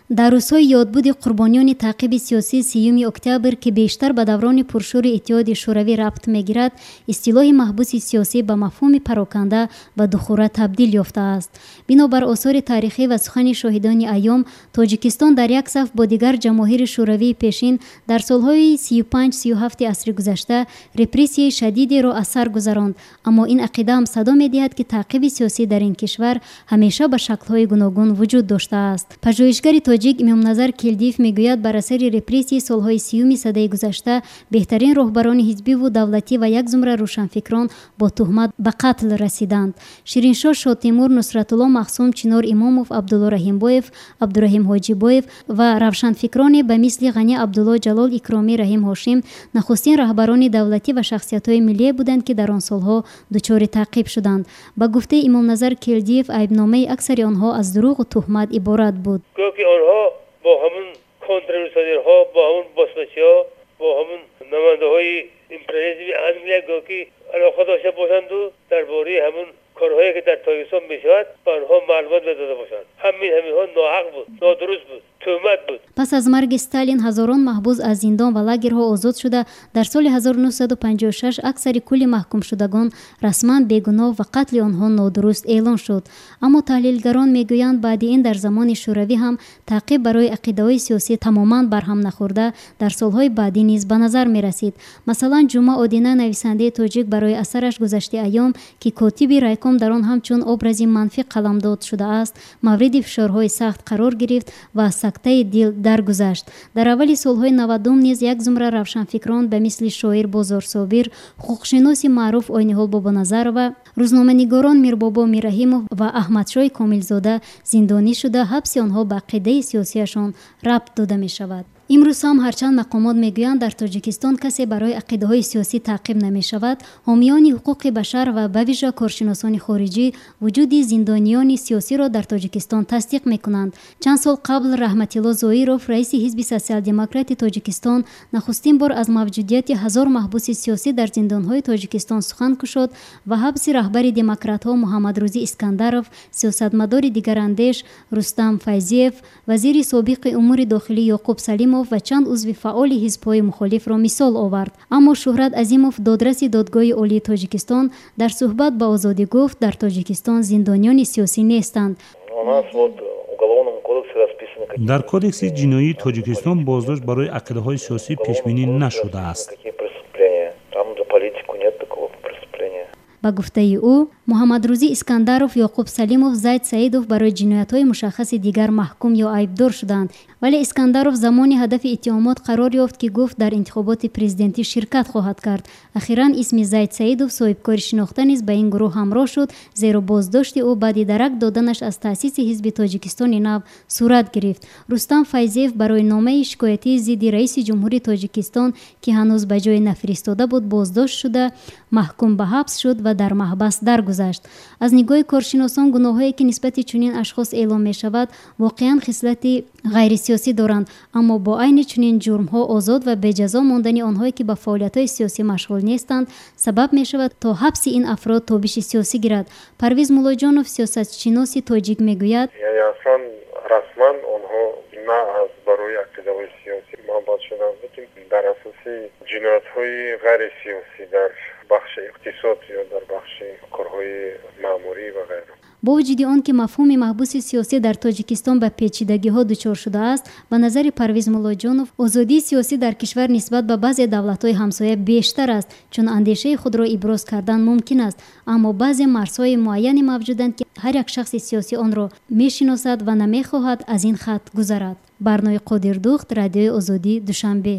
Дар рӯзҳои ёдбуди қурбониёни таъқиби сиёсии 30 октябр, ки бештар ба даврони пуршӯри Иттиҳоди Шӯравӣ рабт мегирад, истилоҳи маҳбуси сиёсӣ ба мафҳуми пароканда ва духура табдил ёфтааст. Бинобар осори таърихӣ ва сухани шоҳидони айём, Тоҷикистон дар як саф бо дигар ҷамоҳири шӯравии пешин дар солҳои 35-37 асри гузашта репрессияи шадидеро аз сар гузаронд. Аммо ин ақида ҳам садо медиҳад, ки таъқиби сиёсӣ дар ин кишвар ҳамеша ба шаклҳои гуногун вуҷуд доштааст. Пажӯҳишгари тоҷик Имомназар Келдиев мегӯяд, бар асари репрессияи солҳои 30-уми садаи гузашта беҳтарин роҳбарони ҳизбиву давлатӣ ва як зумра рӯшанфикрон бо туҳмат ба қатл расиданд. Шириншоҳ Шотемур, Нусратулло Маҳсум, Чинор Имомов, Абдулло Раҳимбоев, Абдураҳим Ҳоҷибоев ва равшанфикроне ба мисли Ғани Абдулло, Ҷалол Икромӣ, Раҳим Ҳошим нахустин роҳбарони давлатӣ ва шахсиятҳои миллие буданд, ки дар он солҳо дучори таъқиб шуданд. Ба гуфтаи Имомназар Келдиев, айбномаи аксари онҳо аз дурӯғу туҳмат иборат буд. Гӯё ки онҳо бо ҳамун контрреволюционерҳо, бо ҳамун босмачиҳо, бо ҳамун намояндаҳои империализми Англия гӯё ки алоқа дошта бошанду дар бораи ҳамун корҳое ки дар Тоҷикистон мешавад, ба онҳо маълумот медода бошанд. Ҳамин ҳаминҳо ноҳақ буд, нодуруст буд, туҳмат буд. Пас аз марги Сталин ҳазорон маҳбус аз зиндон ва лагерҳо озод шуда, дар соли 1956 аксари кулли маҳкумшудагон расман бегуноҳ ва қатли онҳо нодуруст эълон шуд. Аммо таҳлилгарон мегӯянд, баъди ин дар замони Шӯравӣ ҳам таъқиб барои ақидаҳои сиёсӣ тамоман барҳам нахӯрда, дар солҳои баъдӣ низ ба назар мерасид. Масалан, Ҷума Одина, нависандаи тоҷик, барои асараш «Гузашти айём», ки котиби райком дар он ҳамчун образи манфӣ қаламдод шудааст, мавриди фишорҳои сахт қарор гирифт ва аз сактаи дил даргузашт. Дар аввали солҳои 90-ум низ як зумра равшанфикрон ба мисли шоир Бозор Собир, ҳуқуқшиноси маъруф Ойниҳол Бобоназарова, рӯзноманигорон Мирбобо Мирраҳимов ва Аҳмадшоҳи Комилзода зиндонӣ шуда, ҳабси онҳо ба ақидаи сиёсиашон рабт дода мешавад. Имрӯз ҳам, ҳарчанд мақомот мегӯянд, дар Тоҷикистон касе барои ақидаҳои сиёсӣ таъқиб намешавад, ҳомиёни ҳуқуқи башар ва ба вижа коршиносони хориҷӣ вуҷуди зиндониёни сиёсиро дар Тоҷикистон тасдиқ мекунанд. Чанд сол қабл Раҳматилло Зоиров, раиси Ҳизби Социал-демократи Тоҷикистон, нахустин бор аз мавҷудияти 1000 маҳбуси сиёсӣ дар зиндонҳои Тоҷикистон сухан кушод ва ҳабси раҳбари демократҳо Муҳаммадрӯзӣ Искандаров, сиёсатмадори дигарандеш Рустам Файзиев, вазири собиқи умури дохилӣ Ёқуб Салимов ва чанд узви фаъоли ҳизбҳои мухолифро мисол овард. Аммо Шӯҳрат Азимов, додраси Додгоҳи Олии Тоҷикистон, дар суҳбат ба Озодӣ гуфт, дар Тоҷикистон зиндониёни сиёсӣ нестанд. Дар Кодекси ҷиноии Тоҷикистон боздошт барои ақидаҳои сиёсӣ пешбинӣ нашудааст. Ба гуфтаи ӯ, Муҳаммадрӯзӣ Искандаров, Ёқуб Салимов, Зайд Саидов барои ҷиноятҳои мушаххаси дигар маҳкум ё айбдор шуданд. Вале Искандаров замони ҳадафи иттиҳомот қарор ёфт, ки гуфт, дар интихоботи президентӣ ширкат хоҳад кард. Ахиран исми Зайд Саидов, соҳибкори шинохта, низ ба ин гурӯҳ ҳамроҳ шуд, зеро боздошти ӯ баъди дарак доданаш аз таъсиси Ҳизби Тоҷикистони нав сурат гирифт. Рустам Файзиев барои номаи шикоятии зидди раиси ҷумҳури Тоҷикистон, ки ҳанӯз ба ҷое нафиристода буд, боздошт шуда, маҳкум ба ҳабс шуд ва дар маҳбас даргузашт. Аз нигоҳи коршиносон, гуноҳҳое ки нисбати чунин ашхос эълон мешавад, воқеан хислати ғайрисиёсӣ доранд, аммо бо айни чунин ҷурмҳо озод ва беҷазо мондани онҳое, ки ба фаъолиятҳои сиёсӣ машғул нестанд, сабаб мешавад, то ҳабси ин афрод тобиши сиёсӣ гирад. Парвиз Муллоҷонов, сиёсатшиноси тоҷик, мегӯяд: Яъне аслан расман онҳо на аз барои ақидаҳои сиёсӣ маҳбас шуданд, лекин дар асоси ҷиноятҳои ғайрисиёсӣ дар бахши иқтисод ё дар бахши корҳои маъмурӣ ва ғайра. Бо вуҷуди он ки мафҳуми маҳбуси сиёсӣ дар Тоҷикистон ба печидагиҳо дучор шудааст, ба назари Парвиз Муллоҷонов, озодии сиёсӣ дар кишвар нисбат ба баъзе давлатҳои ҳамсоя бештар аст, чун андешаи худро иброз кардан мумкин аст, аммо баъзе марзҳои муайяне мавҷуданд, ки ҳар як шахси сиёсӣ онро мешиносад ва намехоҳад аз ин хат гузарад. Барнои Қодирдухт, Радиои Озодӣ, Душанбе.